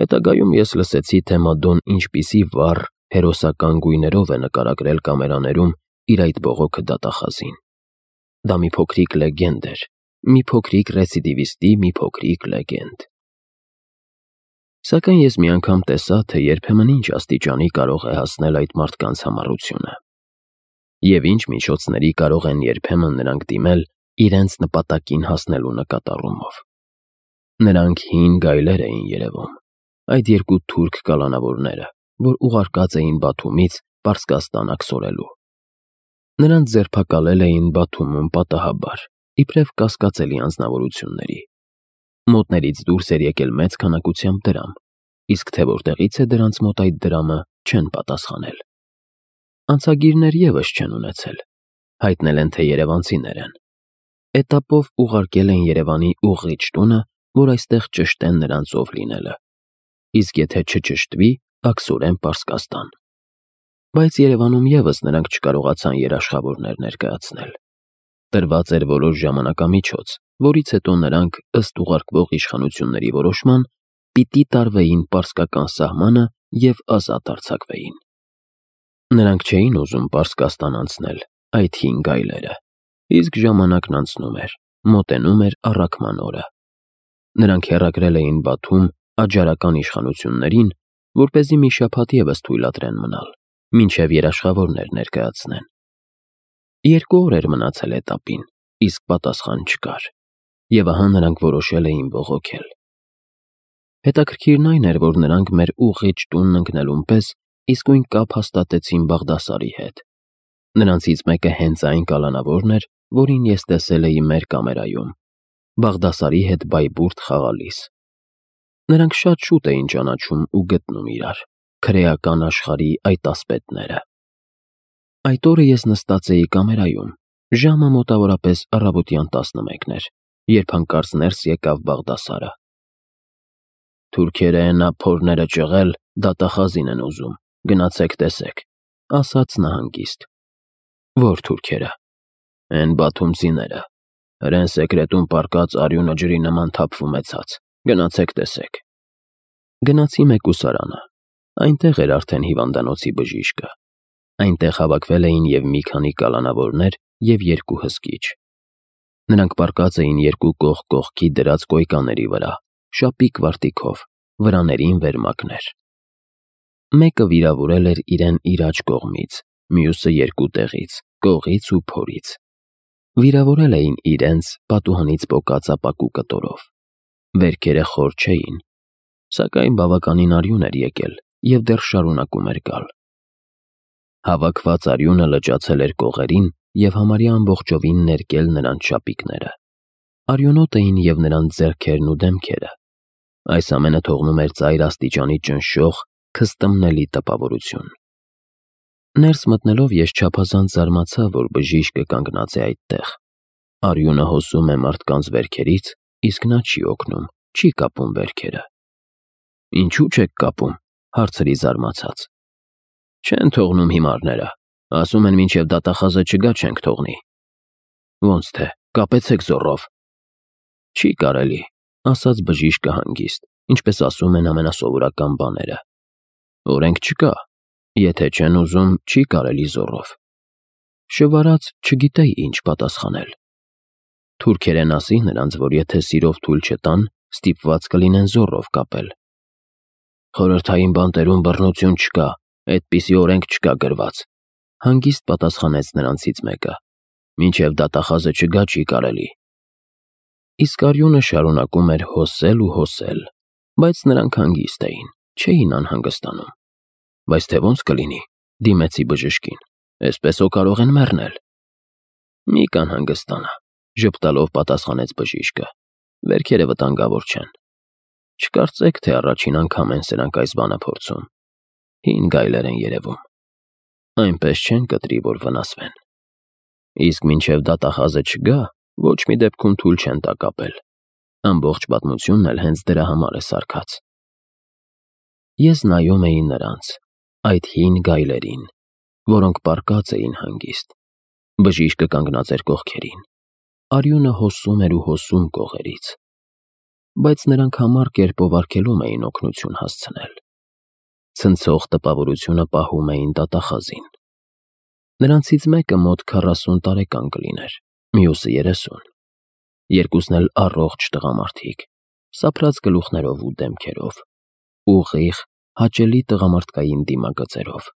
Հետագայում ես լսեցի, թե Մադոն ինչպիսի վառ, հերոսական գույներով է նկարագրել կամերաներում իր այդ բողոքը դատախազին։ Դա մի փոքրիկ լեգենդ էր, մի փոքրիկ ռեցիդիվիստի մի փոքրիկ լեգենդ։ Սակայն ես մի անգամ տեսա, թե երբեմն ինչ աստիճանի կարող է հասնել այդ մարդկանց համառությունը։ Եվ ինչ միջոցների կարող են երբեմն նրանք դիմել իրենց նպատակին հասնելու նկատառումով։ Նրանք հին գայլեր էին երևում, այդ երկու թուրք կալանավորները, որ ուղարկած էին Բաթումից Պարսկաստան աքսորելու։ Նրանց ձերբակալել էին Բաթումում պատահաբար, իբրև կասկածելի անձնավորությունների։ Մոտներից դուրս էր եկել մեծ քանակությամբ դրամ, իսկ թե որտեղից է դրանց մոտ այդ դրամը, չեն պատասխանել։ Անցագիրներ ևս չեն ունեցել, հայտնել են, թե երևանցիներ են։ Էտապով ուղարկել են Երևանի ուղղիչ տունը, որ այստեղ ճշտեն նրանց ով լինելը, իսկ եթե չճշտվի, աքսորեն Պարսկաստան։ Բայց Երևանում ևս նրանք չկարողացան երաշխավորներ ներկայացնել։ Տրված էր որոշ ժամանակամիջոց, որից հետո նրանք, ըստ ուղարկվող իշխանությունների որոշման, պիտի տարվեին պարսկական սահմանը և ազատ արձակվեին։ Նրանք չէին ուզում Պարսկաստան անցնել, այդ հին գայլերը, իսկ ժամանակն անցնում էր, մոտենում էր առաքման օրը։ Նրանք հեռագրել էին Բաթում աջարական իշխանություններին, որպեսզի մի շաբաթ ևս թույլատրեն մնալ, մինչև երաշխավորներ ներկայացնեն։ 2 օր էր մնացել էտապին, իսկ պատասխան չկար, և ահա նրանք որոշել էին բողոքել։ Հետաքրքիրն այն էր, որ նրանք մեր ուղղիչ տունն ընկնելուն պես իսկույն կապ հաստատեցին Բաղդասարի հետ։ Նրանցից մեկը հենց այն կալանավորն էր, որին ես տեսել էի մեր կամերայում, Բաղդասարի հետ բայբուրդ խաղալիս։ Նրանք շատ շուտ էին ճանաչում ու գտնում իրար, քրեական աշխարհի այդ ասպետները։ Այդ օրը ես նստած էի կամերայում, ժամը մոտավորապես առավոտյան 11 էր, երբ հանկարծ ներս եկավ Բաղդասարը։ «Թուրքերը էնա փորները ճղել, դատախազին են ուզում, գնացեք տեսեք», ասաց նա հանգիստ։ «Ո՞ր թուրքերը»։ «Էն բաթումցիները, հրեն սեկրետում պառկած արյունը ջրի նման թափվում է ցած, գնացեք տեսեք»։ Գնացի մեկուսարանը, այնտեղ էր արդեն հիվանդանոցի բժիշկը։ Այնտեղ հավաքվել էին և մի քանի կալանավորներ և 2 հսկիչ։ Նրանք պառկած էին 2 կողք կողքի դրած կոյկաների վրա, շապիկ վարտիքով, վրաներին վերմակներ։ Մեկը վիրավորել էր իրեն իր աջ կողմից, մյուսը 2 տեղից, կողից ու փորից։ Վիրավորել էին իրենց պատուհանից պոկած ապակու կտորով։ Վերքերը խոր չէին, սակայն բավականին արյուն էր եկել և դեռ շարունակում էր գալ։ Հավաքված արյունը լճացել էր կողերին և համարյա ամբողջովին ներկել նրանց շապիկները։ Արյունոտ էին և նրանց ձեռքերն ու դեմքերը։ Այս ամենը թողնում էր ծայր աստիճանի ճնշող, քստմնելի տպավորություն։ Ներս մտնելով ես չափազանց զարմացա, որ բժիշկը կանգնած է այդտեղ։ Արյունը հոսում է մարդկանց վերքերից, իսկ նա չի օգնում, չի կապում վերքերը։ «Ինչու՞ չեք կապում», հարցրի զարմացած։ «Չեն թողնում հիմարները, ասում են մինչև դատախազը չգա չենք թողնի»։ «Ոնց թե, կապեցեք զոռով»։ «Չի կարելի», ասաց բժիշկը հանգիստ, ինչպես ասում են ամենասովորական բաները։ «Օրենք չկա, եթե չեն ուզում, չի կարելի զոռով»։ Շվարած չգիտեի ինչ պատասխանել։ Թուրքերեն ասի նրանց, որ եթե սիրով թույլ չտան, ստիպված կլինեն զոռով կապել։ «Խորհրդային բանտերում բռնություն չկա, այդպիսի օրենք չկա գրված», հանգիստ պատասխանեց նրանցից մեկը։ «Մինչև դատախազը չգա չի կարելի»։ Իսկ արյունը շարունակում էր հոսել ու հոսել, բայց նրանք հանգիստ էին, չէին անհանգստանում։ «Բայց թե ոնց կլինի», դիմեցի բժշկին, «էսպես հո կարող են մեռնել»։ «Մի կանհանգստանա», ժպտալով պատասխանեց բժիշկը, «վերքերը վտանգավոր չեն։ Չկարծեք, թե առաջին անգամ են սրանք այս բանը փորձում։ Հին գայլեր են երևում։ Այնպես չեն կտրի, որ վնասվեն։ Իսկ մինչև դատախազը չգա, ոչ մի դեպքում թույլ չեն տա կապել։ Ամբողջ պատմությունն էլ հենց դրա համար է սարքած»։ Ես նայում էի նրանց, այդ հին գայլերին, որոնք պառկած էին հանգիստ։ Բժիշկը կանգնած էր կողքերին։ Արյունը հոսում էր ու հոսում կողերից։ բայց նրանք համառ կերպով արգելում էին օգնություն հասցնել։ Ցնցող տպավորությունը պահում էին դատախազին։ Նրանցից մեկը մոտ 40 տարեկան կլիներ, մյուսը 30։ Երկուսն էլ առողջ տղամարդիկ, սափրած գլուխներով ու դեմքերով, ուղիղ, հաճելի տղամարդկային դիմագծերով։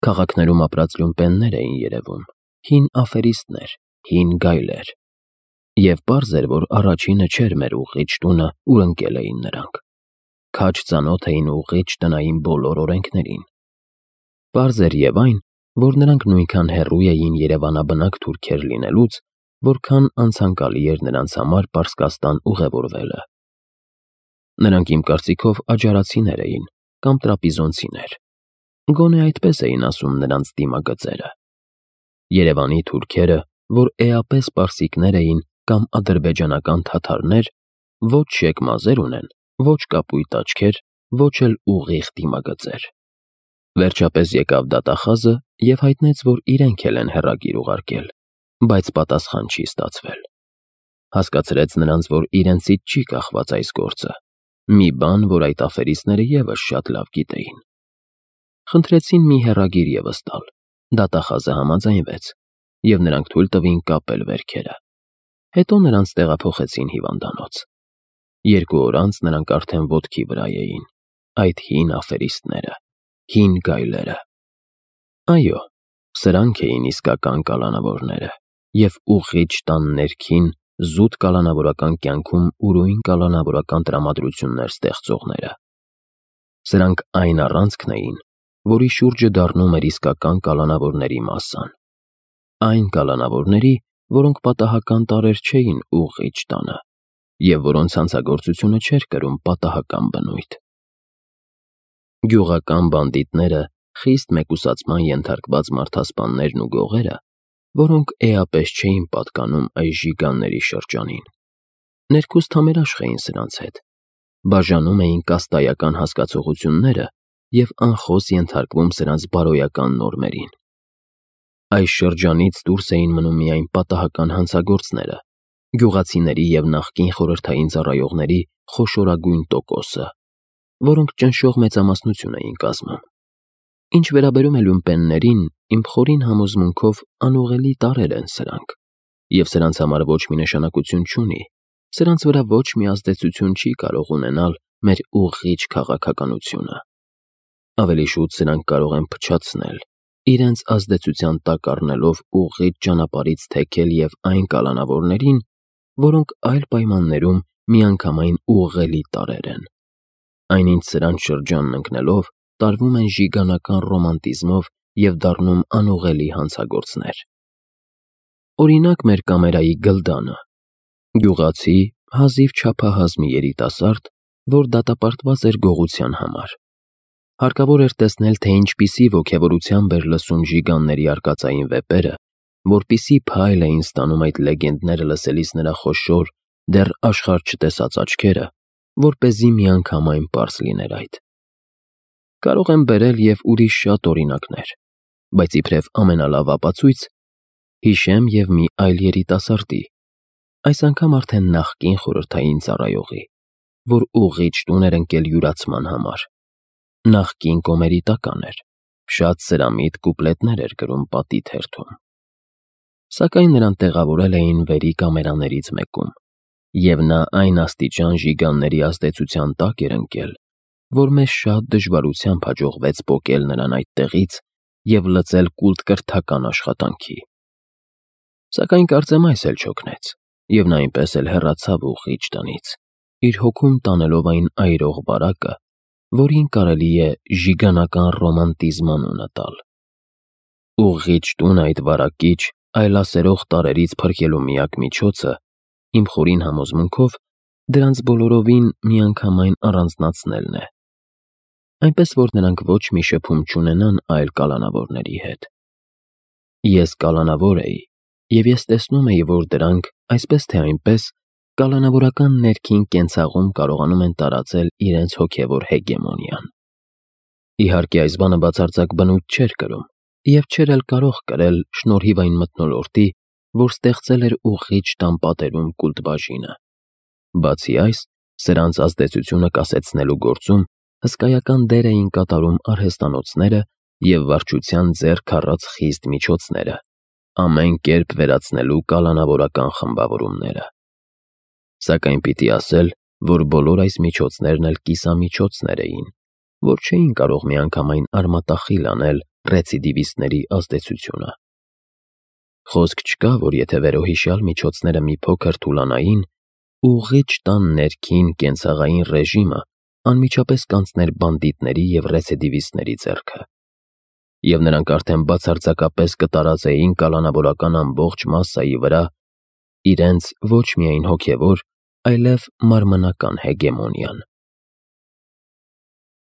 Քաղաքներում ապրած լյումպեններ էին երևում, հին աֆերիստներ, հին գայլեր։ Եվ պարզ էր, որ առաջինը չէր մեր ուղիղ տունը, ուր ընկել էին նրանք։ Քաջ ծանոթ էին ուղիղ տնային բոլոր օրենքներին։ Պարզ էր և այն, որ նրանք նույնքան հեռու էին երևանաբնակ թուրքեր լինելուց, որքան անցանկալի էր նրանց համար Պարսկաստան ուղևորվելը։ Նրանք իմ կարծիքով աջարացիներ էին կամ տրապիզոնցիներ։ Գոնե այդպես էին ասում նրանց դիմագծերը։ Երևանի թուրքերը, որ էապես պարսիկներ էին կամ ադրբեջանական թաթարներ, ոչ շեկ մազեր ունեն, ոչ կապույտ աչքեր, ոչ էլ ուղիղ դիմագծեր։ Վերջապես եկավ դատախազը և հայտնեց, որ իրենք էլ են հեռագիր ուղարկել, բայց պատասխան չի ստացվել։ Հասկացրեց նրանց, որ իրենցից չի կախված այս գործը, մի բան, որ այդ աֆերիստները ևս շատ լավ գիտեին։ Խնդրեցին մի հեռագիր ևս տալ, դատախազը համաձայնվեց, և նրանք թույլ տվին կապել վերքերը։ Հետո նրանց տեղափոխեցին հիվանդանոց։ 2 օր անց նրանք արդեն ոտքի վրա էին, այդ հին աֆերիստները, հին գայլերը։ Այո, սրանք էին իսկական կալանավորները և ուղիղ տան ներքին, զուտ կալանավորական կյանքում ուրույն կալանավորական տրամադրություններ ստեղծողները։ Սրանք այն առանցքն էին, որի շուրջը դառնում էր իսկական կալանավորների մասսան։ Այն կալանավորների, որոնք պատահական տարրեր չէին ուղիղ տանը, և որոնց հանցագործությունը չէր կրում պատահական բնույթ։ Գյուղական բանդիտները, խիստ մեկուսացման ենթարկված մարդասպաններն ու գողերը, որոնք էապես չէին պատկանում այս ժիգանների շրջանին, ներքուստ համերաշխ էին սրանց հետ, բաժանում էին կաստայական հասկացողությունները և անխոս ենթարկվում սրանց բարոյական նորմերին։ Այս շրջանից դուրս էին մնում միայն պատահական հանցագործները, գյուղացիների և նախկին խորհրդային ծառայողների խոշորագույն տոկոսը, որոնք ճնշող մեծամասնություն էին կազմում։ Ինչ վերաբերում է լյումպեններին, իմ խորին համոզմունքով անուղղելի տարրեր են սրանք, և սրանց համար ոչ մի նշանակություն չունի, սրանց վրա ոչ մի ազդեցություն չի կարող ունենալ մեր ուղիղ քաղաքականությունը։ Ավելի շուտ սրանք կարող են փչացնել, իրենց ազդեցության տակ առնելով ուղիղ ճանապարհից թեքել և այն կալանավորներին, որոնք այլ պայմաններում միանգամայն ուղղելի տարրեր են։ Այնինչ սրանց շրջանն ընկնելով տարվում են ժիգանական ռոմանտիզմով և դառնում անուղղելի հանցագործներ։ Օրինակ մեր կամերայի Գլդանը, գյուղացի, հազիվ չափահաս մի երիտասարդ, որ դատապարտված էր գողության համար։ Հարկավոր էր տեսնել, թե ինչպիսի ոգևորությամբ էր լսում ժիգանների արկածային վեպերը, որպիսի փայլ էին ստանում այդ լեգենդները լսելիս նրա խոշոր, դեռ աշխարհ չտեսած աչքերը, որպեսզի միանգամայն պարզ լիներ այդ։ Կարող եմ բերել և ուրիշ շատ օրինակներ, բայց իբրև ամենալավ ապացույց հիշեմ և մի այլ երիտասարդի, այս անգամ արդեն նախկին խորհրդային ծառայողի, որ ուղիղ տուն էր ընկել յուրացման համար։ Նախկին կոմերիտական էր, շատ սրամիտ կուպլետներ էր գրում պատի թերթում։ Սակայն նրան տեղավորել էին վերի կամերաներից մեկում, և նա այն աստիճան ժիգանների ազդեցության տակ էր ընկել, որ մեզ շատ դժվարությամբ հաջողվեց պոկել նրան այդտեղից և լծել կուլտ-կրթական աշխատանքի։ Սակայն կարծեմ այս էլ չօգնեց, և նա այնպես էլ հեռացավ ուղիղ տնից, իր հոգում տանելով այն այրող վարակը, որին կարելի է ժիգանական ռոմանտիզմ անունը տալ։ Ուղիղ տունը այդ վարակիչ, այլասերող տարրերից փրկելու միակ միջոցը, իմ խորին համոզմունքով, դրանց բոլորովին միանգամայն առանձնացնելն է, այնպես որ նրանք ոչ մի շփում չունենան այլ կալանավորների հետ։ Ես կալանավոր էի, և ես տեսնում էի, որ դրանք, այսպես թե այնպես, կալանավորական ներքին կենցաղում կարողանում են տարածել իրենց հոգևոր հեգեմոնիան։ Իհարկե, այս բանը բացարձակ բնույթ չէր կրում և չէր էլ կարող կրել շնորհիվ այն մթնոլորտի, որ ստեղծել էր ուղիղ տան պատերում կուլտ բաժինը, Բացի այս, սրանց ազդեցությունը կասեցնելու գործում հսկայական դեր էին կատարում արհեստանոցները և վարչության ձեռք առած խիստ միջոցները, ամեն կերպ վերացնելու կալանավորական խմբավորումները։ Սակայն պիտի ասել, որ բոլոր այս միջոցներն էլ կիսամիջոցներ էին, որ չէին կարող միանգամայն արմատախիլ անել ռեցիդիվիստների ազդեցությունը։ Խոսք չկա, որ եթե վերոհիշյալ միջոցները մի փոքր թուլանային, ուղղիչ տան ներքին կենցաղային ռեժիմը անմիջապես կանցներ բանդիտների և ռեցիդիվիստների ձեռքը, և նրանք արդեն բացարձակապես կտարածեին կալանավորական ամբողջ մասսայի վրա իրենց ոչ միայն հոգևոր, այլև մարմնական հեգեմոնիան։